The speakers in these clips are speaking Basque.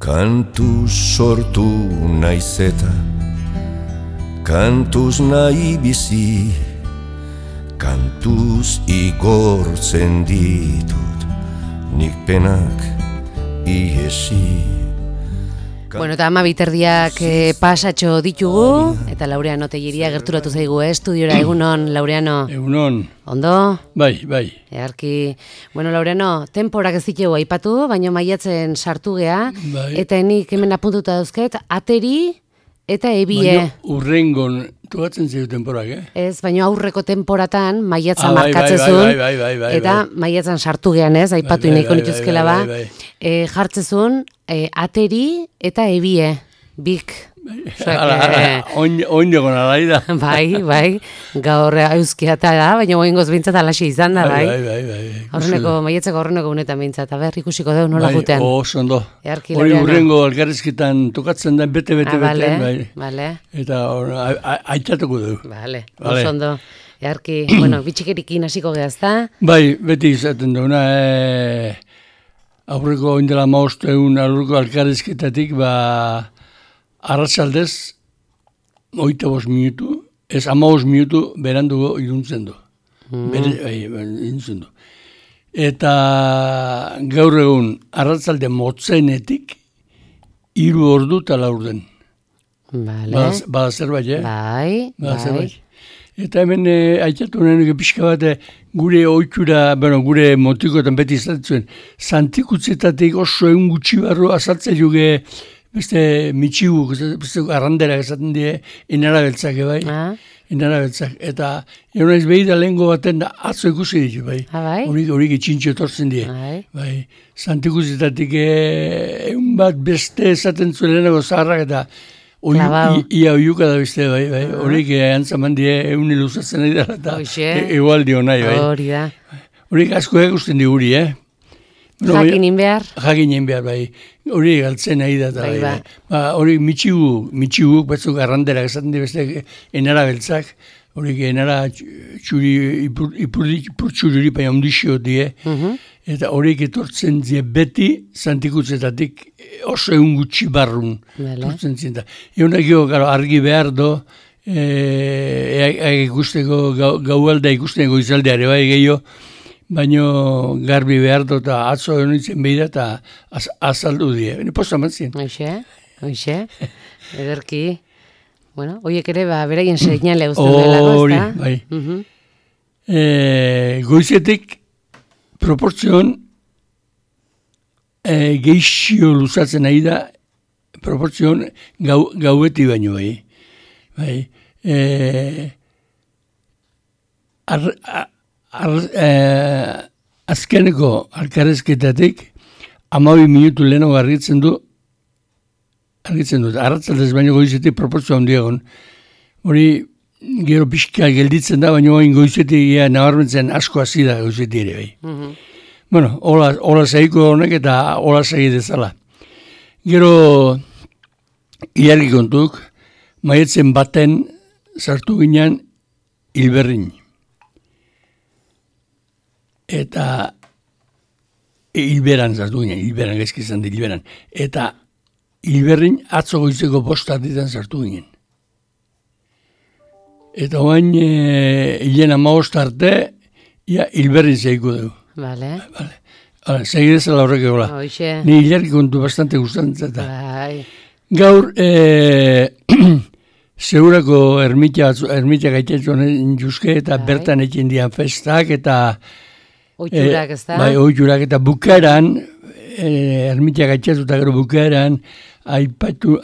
Kantuz sortu naiz eta kantuz nahi bizi, kantuz igortzen ditut nik penak iesi. Bueno, eta 12:00 pasatxo ditugu, eta Laureano Tellería gerturatu zaigu, estudiora. Egunon, Laureano. Egunon. Ondo? Bai. Earki. Bueno, Laureano, temporak ez ditugu aipatu, baina maiatzen sartu gea, Bai. eta nik hemen apuntuta dauzket, ateri eta ebie. Baina urrengon tokatzen zaitu temporak, Ez, baina aurreko temporatan maiatzen bai, markatzezun, bai, eta maiatzen sartu gean, ez, aipatu ineko nituzkela ba, jartzezun ateri eta ebie, bik. Oin egon alai da. Bai, gaur euskia da, baina oingoz bintzat alaxe izan da, bai. Horreneko, maietzeko horreneko unetan bintzat, aber ikusiko deu nola gutean. Bai, oso ondo. Earki, Hori Laureano. urrengo alkarrizketan tokatzen da, bete, Bale. Eta aitzatuko du. Bale, oso ondo. Earki, bueno, bitxikerikin hasiko gehazta. Bai, beti izaten duna, aurreko oindela maosteun aurreko alkarrizketatik, arratsaldez, 25 minutu, ez 15 minutu berandugo iruntzen du. Iruntzen du. Eta gaur egun, arratsalde motzenetik, 3 ordu eta 4 den. Bale. Bada zerbait, Bai. Eta hemen aitzatu nahi pixka bat gure ohitura, gure motikoetan beti izaten zuen, Santikutzetatik oso egun gutxi barru azaltzen juge beste mitxiguk, beste arranderak esaten die, enarabeltzak, bai? Enarabeltzak. Eta naiz behi da lehengo baten atzo ikusi ditu, bai? Bai? Horik etxintxo etortzen die. Bai. Santikutzetatik egun bat beste esaten zuen lehenago zaharrak eta ia oiuka da beste, bai? Horik antzaman die egun iluzatzen nahi dara eta egualdi honai, bai? Hori da. Horik asko egusten di guri, Jakinin behar? Jakinen behar, bai. Hori galtzen nahi da, bai. Hori mitxiguk, batzuk arranderak esaten di beste enara beltzak, hori enara txuri, ipur txuriri paia ondixio die, eta horiek etortzen die beti Santikutzetatik oso egun gutxi barrun etortzen zien da. Egunak argi behar do, ikusteko gaualda ikusteko izaldeare bai gehiago, baina garbi behar dut eta atzo honitzen behi da eta azaldu die. Posta mantzien. Hoxe. Ederki. Bueno, horiek ere beraien seinale guztien delako, hori, bai. Goizetik proportzion geixio luzatzen nahi da proportzion gaueti baino, bai. Azkeneko alkarrezketatik 12 minutu lehenago argitzen du, arratzaldez baino goizetik proportzioa handiegon. Hori gero pixka gelditzen da, baino goizetik nabarmentzen asko hasi da goizetik ere, bai. Bueno, hola zaiko honek eta hola zai dezala. Gero ilargi kontuk, maietzen baten sartu ginean Hilberrin. Eta Hilberan sartu ginen, Hilberan gaizki izan di Hilberan. Eta Hilberrin atzo goizeko 5:00 sartu ginen. Eta oain hilen 15 arte, Hilberrin zeiko dugu. Bale. Segidezela horrek egola. Ni hilarki kontu bastante gustatzen zeta. Bai. Gaur, segurako ermitia gaitetzen juzke eta bertan ekin dian festak eta oiturak, ez da? Bai, oiturak eta bukaeran, ermitia gaitxatu eta gero bukaeran, aipatu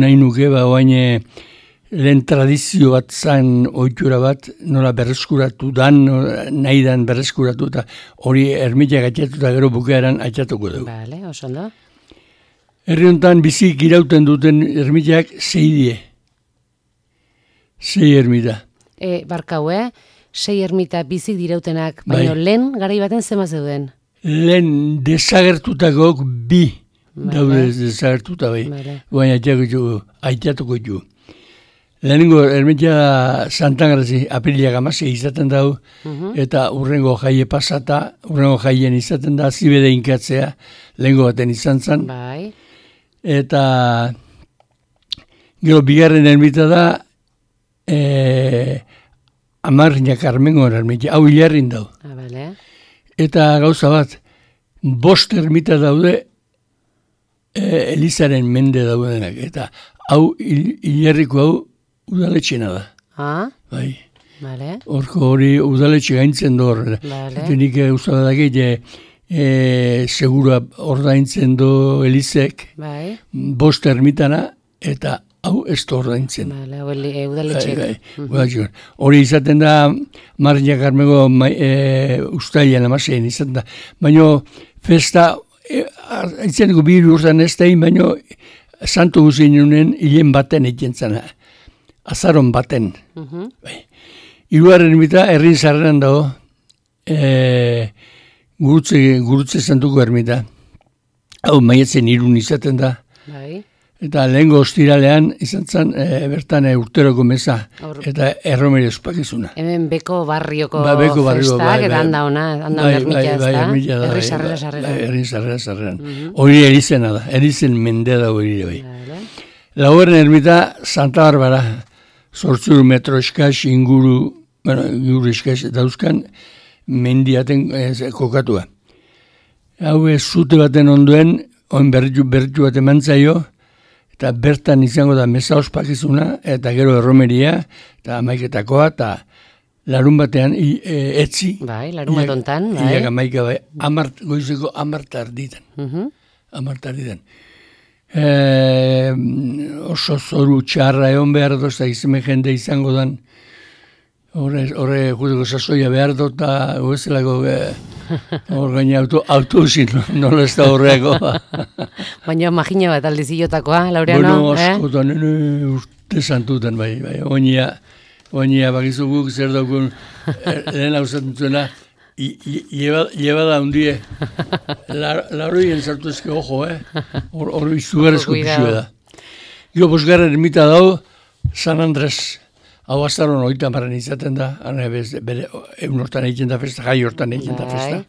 nahi nuke, oain lehen tradizio bat zan oitura bat, nola berreskuratu dan, nahi dan berreskuratu, eta hori ermitia gaitxatu eta gero bukaeran aitxatuko dugu. Bale, oso ondo. Herri honetan bizik irauten duten ermitiak 6 die. 6 ermita. Barkau, 6 ermita bizik dirautenak, baina lehen garai baten zema zeuden? Lehen desagertutakok 2 daude desagertuta bai. Baina aitatuko ditu. Lehenengo ermitia Santangarazi apiriak 16 izaten dau, eta urrengo jaie pasata, urrengo jaien izaten da, zibede inkatzea, lehengo baten izan zen. Bai. eta gero bigarren ermita da Amarriña Carmengo ermita, hau Ilarrin dau. Vale. Eta gauza bat, 5 ermita daude Elizaren mende daudenak, eta hau Ilarriko hau udaletxena da. Bai. Vale. Horko hori udaletxe gaintzen du horrela. Vale. Eta nik usadakit segura ordaintzen du Elizek, Bai. 5 ermitana, eta hau ez da ordaintzen. Vale, udaletxek. Hori izaten da, Marriña Carmengo ustailan amasean izaten da. Baina festa, itzeneko 2 urtean ez da egin, baina santu guzien unen hilen baten egiten zena. Azaron baten. Hirugarren ermita, Errin Sarreran dago, gurutze santuko ermita. Hau maiatzen 3 izaten da. Bai. Eta lehengo ostiralean izan zen bertan urteroko meza eta erromeri ospakizuna. Hemen Beko barrioko Beko barrio, festak, eta handa ona ermita ez da. Erri sarrera. Erri sarrera. Hori erizena da, erizen mendea da hori bai. Laugarren ermita Santa Barbara, 8 metro eskaz inguru eskaz dauzkan mendiaten kokatua. Hau zute baten onduen, oin berritu bat emantzaio, eta bertan izango da meza ospakizuna, eta gero erromeria, eta amaiketakoa, eta larun batean etzi. Bai, larun bat ontan. Iak amaika bai, goizeko 10 tarditan. 10 tarditan. Oso zoru txarra egon behar dut, eta izeme jende izango dan, horre juteko sasoia behar dut, eta huezelako hor gaina autobusin nola ez da horreako. Baina magina bat aldiziotakoa, Laureano? Bueno, askotan, urte santutan, bai. Oinia bakizu guk zer daukun, lehen hau zatentuena, llevada hundie, lauroien sartu ezke ojo, hor izugarrezko pixua da. Gero bosgarren ermita dau, San Andres, hau azaron 30 izaten da, bere egun hortan egiten da festa, jai hortan egiten da festa.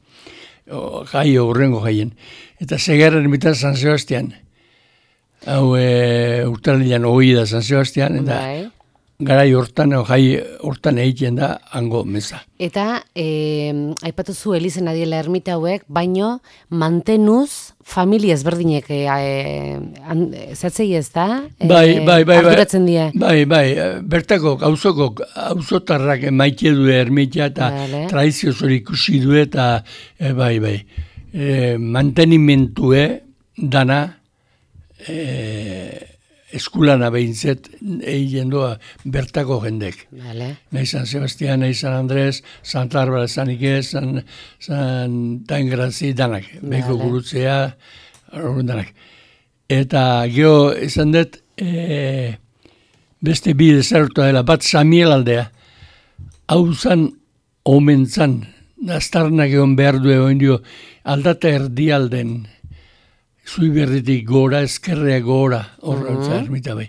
Jai horrengo jaien. Eta segarren ermita San Sebastian. Hau urtarrilan 20 da San Sebastian, eta garai hortan, jai hortan egiten da hango meza. Eta, aipatu zu Elizen adiela ermita hauek, baino mantenuz familia ezberdinek zatzei ez da? Arduratzen die? Bai, bertako auzotarrak maite du ermita eta tradizioz hori ikusi du eta mantenimentue dana eskulana behintzet egin doa bertako jendek. Nahi San Sebastián, nahi San Andrés, Santa Bárbara, San Iquez, Santa Engrazi, danak. Beko gurutzea, danak. Eta geho izan dut, beste bi desarrotua dela, bat Samiel aldea. Hau zan, omen zan, aztarnak egon behar du egon dio, aldata erdialden, Zuiberritik gora, eskerrea gora, horretza ermita bai.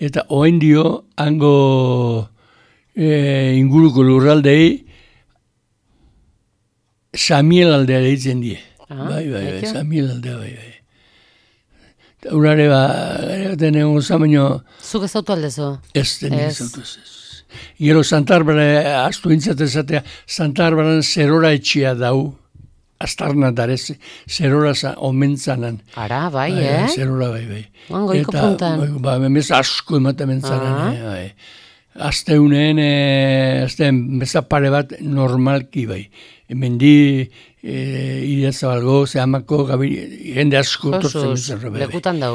Eta oen dio, hango inguruko lurraldei, Samiel aldea deitzen die. Bai, Samiel aldea bai. Urare gaten egon zamaino... Zuk ez auto aldezo? Ez, denik ez auto ez. Gero Santa Bárbara, astu intzatezatea, Santa Bárbara zerora etxia dau, Aztarna darez, zerora omentzanan. Ara, bai, Zerora, bai. Goiko puntan. Memez asko ematen mentzanan, bai. Azteunen, meza pare bat normalki, bai. Mendi, ideazabalgo, zehamako, jende asko tortzen zerra, bai. Lekutan dau,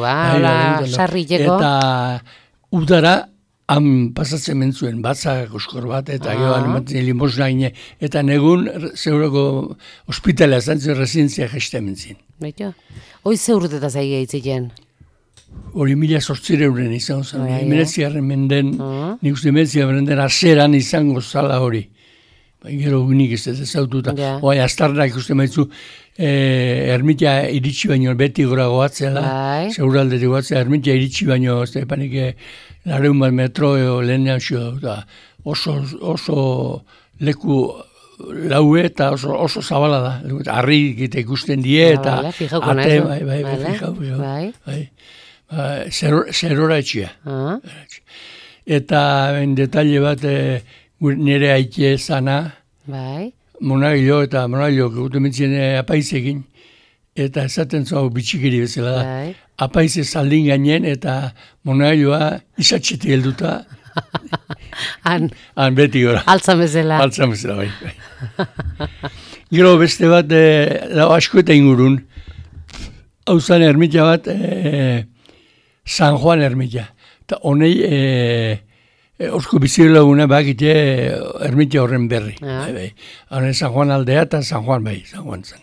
sarrileko. Eta udara, han pasatzen mentzuen batzak oskor bat, eta gehoan ematen limosna gine, eta negun zeurako ospitalea zantzio rezientzia jeste mentzien. Baito? Hoi zeurteta zaila hitziken? Hori 1800 izango zen, 19. menden, nik uste 19. menden azeran izango zala hori. Gero unik ez ezaututa. Oai, aztarnak ikusten maitzu, ermitea iritsi baino beti gora goatzela, zeuraldetik goatzela, ermitea iritsi baino, ez da, panik, 100 metro lehenean xio da. Oso leku laue eta oso zabala da. Arri ikusten die eta ate, bai. Zerora etxia. Eta detalle bat nire aite zana, monagilo gautu mintzen apaizekin, eta esaten zau bitxikiri bezala da. Apaize zaldin gainen eta monagiloa izatxeti helduta. Han beti gora. Altzan bezala. Bai. Gero beste bat, asko eta ingurun, hau zan ermita bat, San Juan ermita. Eta honei, orko bizilaguna bakite ermita horren berri. Hone San Juan aldea eta San Juan San Juan zen.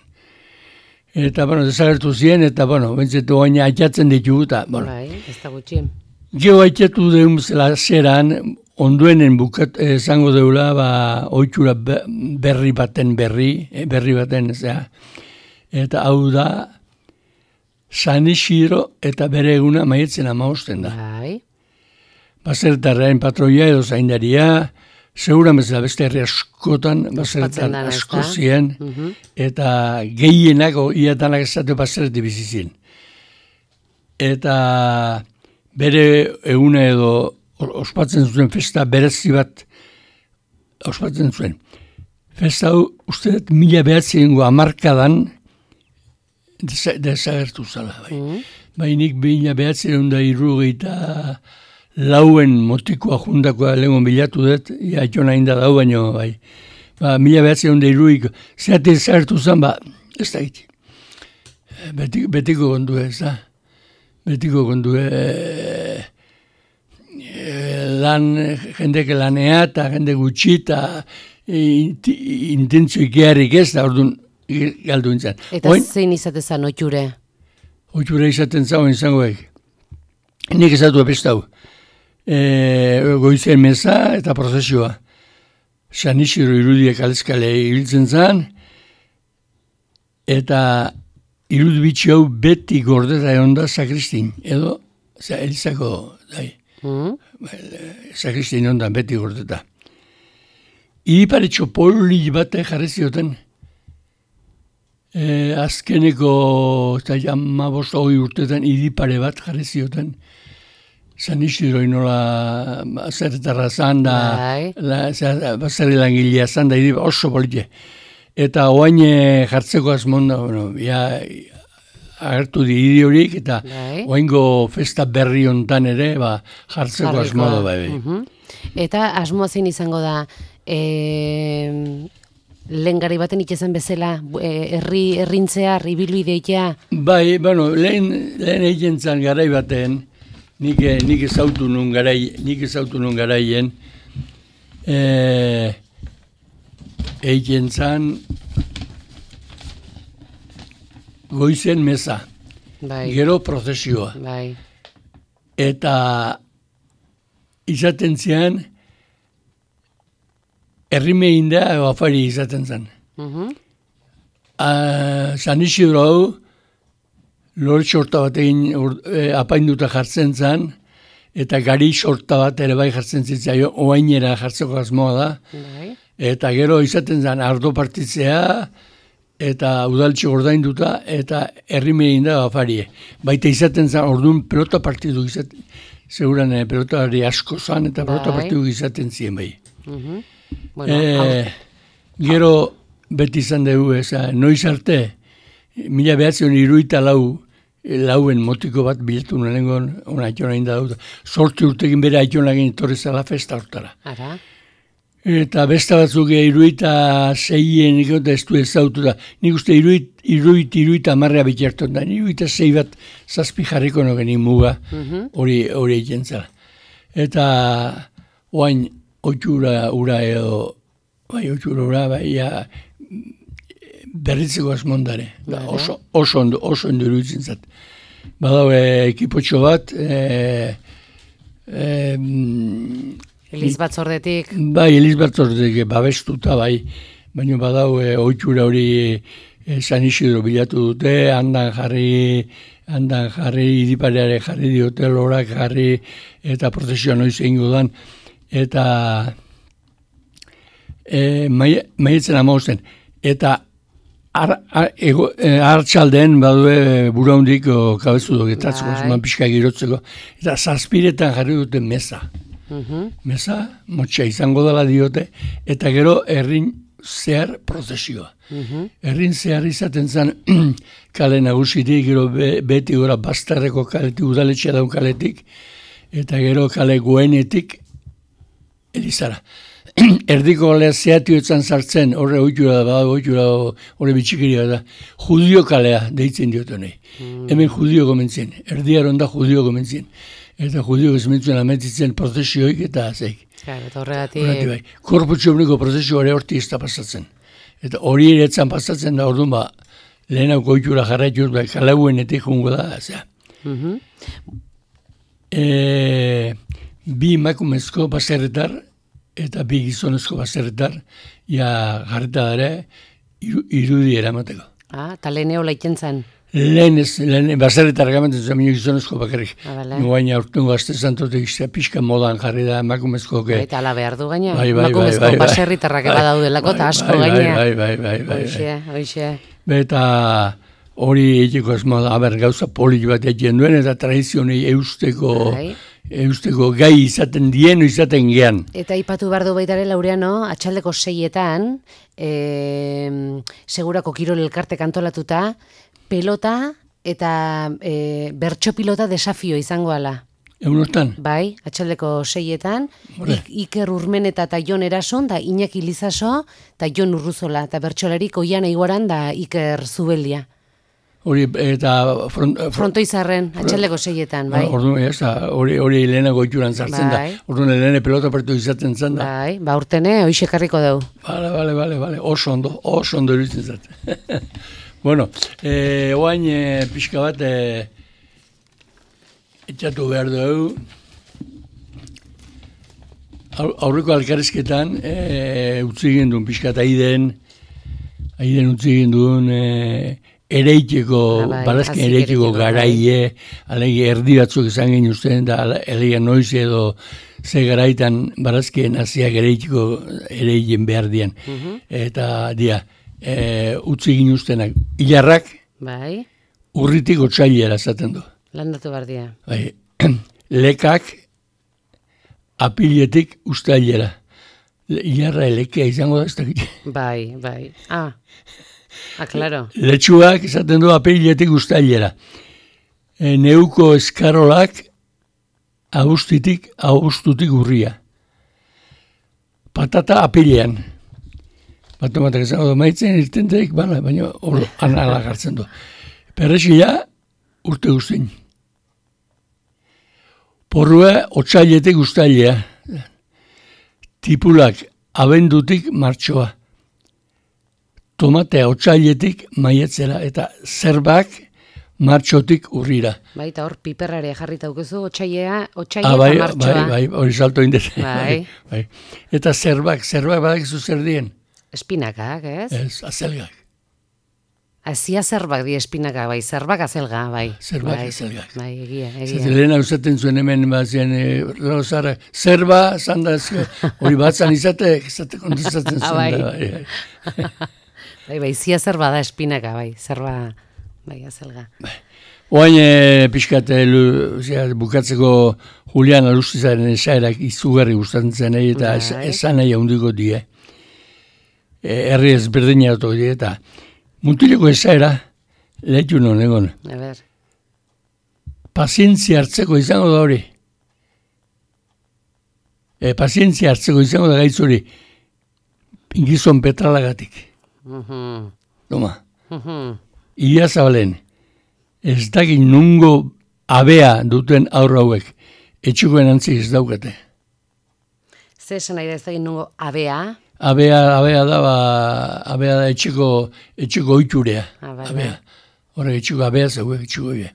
Eta, desagertu ziren, eta, bentsetu gaina aitatzen ditugu, eta, ez da gutxien. Geo aitatu deun zela zeran, onduenen zango deula, oitxura berri baten, eta hau da, San Isidro eta bere eguna maietzen 15 da. Baserritarren patroia edo zaindaria, seguran bezala beste herri askotan, baserritar asko ziren, eta gehienak, iatanak esatu baserreti bizizien. Eta bere eguna edo ospatzen zuen festa berezi bat ospatzen zuen. Festa hau, uste dut 1910 desagertu zala. Nik 1974 lauen motikoa jundakoa lehenko bilatu dut, jaitxo nahi da dau baino, 1903 zeate desagertu zen, ez da giti. Betiko kondu ez da. Betiko kondu jendeke lanea eta jende gutxi eta intentzio ikearrik ez da, orduan galdu intzan. Eta zein izatezan oitxure? Oitxure izaten zauen izangoek. Nik ezatu apestau. Goizen meza eta prozesioa. San Isidro irudiek alezkale ibiltzen zan, eta irudibitxi hau beti gordeta egon da sakristin, edo elizako sakristin egon da beti gordeta. Iriparetxo poli bat jarri zioten, azkeneko eta 15 urtetan iripare bat jarri zioten, San Isidro inola zerretarra zan da, bazerri langilea zan da, oso polite. Eta oain jartzeko azmonda, agertu di hiri horik, eta oaingo festa berri hontan ere, jartzeko azmodo. Eta asmoa zein izango da, lehen gari baten itxezan bezala, errintzea, ibilbidea? Lehen egin zan garai baten, nik ezautu nun garaien, egin zan goizen meza, gero prozesioa. Eta izaten zian, errimein da, afari izaten zan. San Isidro hau, lore sorta bat egin apainduta jartzen zan, eta gari sorta bat ere bai jartzen zitzaio, oainera jartzeko asmoa da. Eta gero izaten zan ardo partitzea, eta udaltxe ordainduta, eta errimegin da afarie. Baita izaten zan, orduan pelota partidu izaten, seguran pelotari asko zan, eta pelota partidu izaten ziren bai. Gero beti izan dugu, noiz arte, 1974 lauen motiko bat bilatu nengon, ona aitona inda dauta. 8 urtekin bere aitona egin torri zela festa hortara. Eta besta batzuk 76 ikota ez du ezautu da. Nik uste 70 bitxerton da. 76 bat zazpi jarriko nogen muga hori egin zela. Eta oain oitxura ura edo, berritzeko asmondare. Oso ondo iruditzen zat. Badau ekipotxo bat, Eliz batzordetik. Eliz batzordetik babestuta, baina badau oitxura hori San Isidro bilatu dute, handan jarri, iripareare jarri diote, lorak jarri, eta prozesioa noiz egingo dan, eta maietzen 15. Eta hartxalden badue buraundik kabezu dogetatzuko, zuman pixka girotzeko, eta 7 jarri dute meza. Meza, motxa izango dela diote, eta gero herrin zehar prozesioa. Herrin zehar izaten zen kale nagusitik, gero beti gora Bastarreko kaletik, udaletxea daun kaletik, eta gero kale goenetik Elizara. Erdiko kalea zehatioetan sartzen, horre horre bitxikiria da, judio kalea deitzen diotu nahi. Hemen judio gomentzien, erdiaron da judio gomentzien. Eta judio gezmentzuen ametitzen prozesioik eta zeik. Eta horregatik. Korputxo honeko prozesio hori horti ez da pasatzen. Eta hori eretzan pasatzen da orduan lehenako oitura jarraituz, kalauenetik jungo da, zera. Bi emakumezko baserritar eta bi gizonezko baserritar jarreta dara irudi eramateko. Eta leheneo laiken zen? Lehen baserritar gamaten zen gizonezko bakarrik. Guaina urtengo azte zantotek pixka modan jarri da emakumezko. Eta ala behar du gaina. Emakumezko baserritarrak badaudelako eta asko gaina. Bai. Hoxe. Eta hori egiteko ez moda, gauza polit bat egiten duen, eta tradizionei eusteko gai izaten dien, izaten gean. Eta ipatu behar du baitare Laureano, atxaldeko 6etan, segurako kirol elkartek antolatuta, pelota eta bertso pilota desafio izango ala. Egunostan? Bai, atxaldeko 6etan, Iker Urmeneta eta Jon Erason, da Iñaki Lizaso, eta Jon Urruzola, eta bertxolarik Oiana Iguaran da Iker Zubeldia. Hori, eta Frontoizarren, atxaldeko 6etan, bai. Hori lehenago ituran zartzen da. Orduan lehene pelota partu izaten zen da. Bai, urtene, hoixekarriko dugu. Bale, oso ondo iruditzen zaten. Bueno, oain pixka bat etxatu behar dugu. Aurreko alkarrizketan utzi gendun pixka eta aiden utzi gendun ereiteko, barazken ereiteko garaie, alegi erdi batzuk izan genuen usten, da elega noiz edo ze garaitan barazken hasiak ereiten behar dian. Eta utzi ginen ustenak, hilarrak, urritik otsailera zaten du. Landatu behar dia. Lekak apiletik ustailera. Hilarra elekea izango da ez dakit. Bai. Claro. Letxuak izaten du apiletik ustailera. Neuko eskarolak agustutik urria. Patata apilean. Batomatak izango du maitzen irtenteik, baina anala gartzen du. Perrexila urte guztin. Porrua otsailetik ustailea. Tipulak abendutik martxoa. Tomatea otsailetik maiatzera eta zerbak martxotik urrira. Bai, eta hor piperrare jarrita aukezu, otsailea eta martxoa. Bai, hori salto indez. Bai. Eta zerbak badakizu zer dien? Espinakak, ez? Ez, azelgak. Azia zerbak di espinaka, bai, zerbak azelga, bai. Zerbak azelgak. Bai, egia. Lehen hauzaten zuen hemen, zara, zerba, zandazio, hori batzan izate kontezatzen zuen. Bai, zia zerba da espinaka, bai, zerba, bai, azelga. Oain pixkat bukatzeko Julian Alustizaren esaerak izugarri gustatzen zen, eta esan nahi handiko die. Herri ezberdinatu die, eta mutileko esaera lehitu non egon. Pazientzia hartzeko izango da hori. Pazientzia hartzeko izango da gaitz hori. Gizon petralagatik. Toma. Ia zabalen. Ez dakit nungo abea duten aurra hauek. Etxukoen antzik ez daukate. Zer esan nahi da ez dakit nungo abea? Abea da etxeko oiturea. Abea. Horrek etxeko abea zauek, etxeko abea.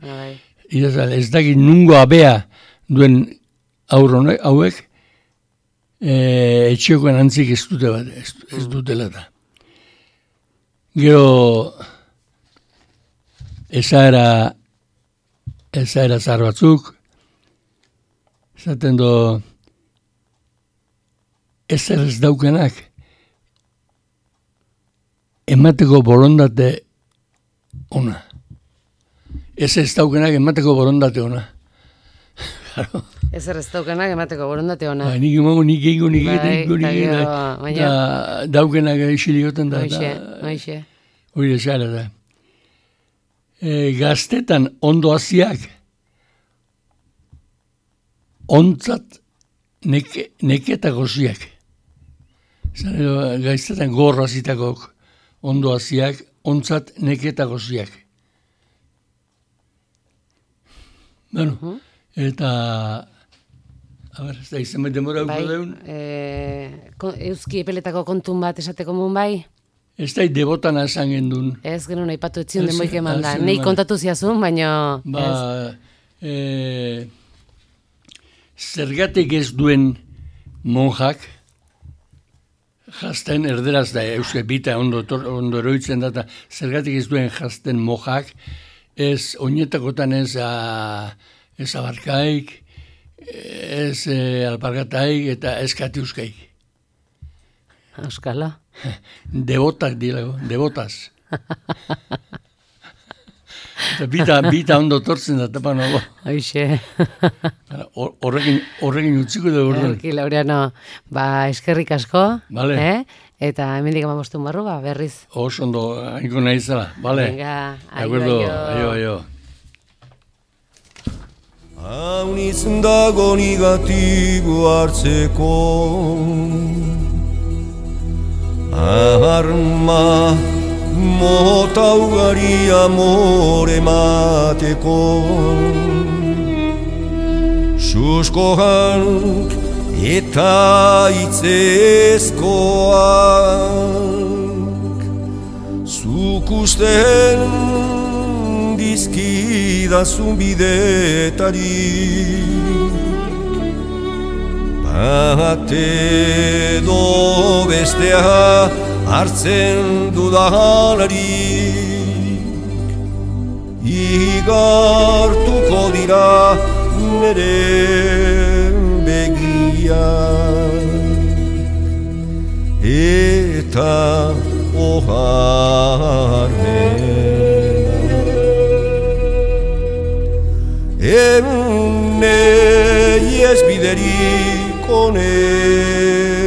Ez dakit nungo abea duen aurra hauek etxekoen antzik ez dutela da. Gero esaera zahar batzuk, esaten do ezer ez daukenak emateko borondate ona. Ez daukenak emateko borondate ona. Ez daukenak emateko borondate ona. Nik emango, nik egingo, daukenak isilioten da. Hoixe. Hori esara da. Gaztetan ondo haziak, ontzat neketako ziak. Gaztetan gorra zitakok ondo haziak, ontzat neketako ziak. Bueno, eta... ez da, izan demora bai, deun. Euski epeletako kontun bat esateko mun bai? Ez da, debotana esan gendun. Ez, genuen aipatu etzion denboik eman da. Nei kontatu ziazun, baina... Zergatik ez duen monjak, jazten, erderaz da, euske bita ondo eroitzen da, zergatik ez duen jazten monjak, ez oinetakotan ez abarkaik, ez alpargataik eta ez katiuskaik. Euskala. Devotak dilago, devotaz. Bita ondo tortzen da, tapa nago. Hoixe. Horrekin utziko da horren. Laureano, eskerrik asko. Vale. Eta hemendik 15 barru, berriz. Oso ondo, hainko nahi zela. Vale. Venga, aio. Haunitz dago negatibo hartzeko arma mota ugari amore mateko susko hank eta itzezkoak zukusten dizkidazun bidetari bate do bestea hartzen dudalarik igartuko dira nere begiak eta oharmena ene ez biderik onena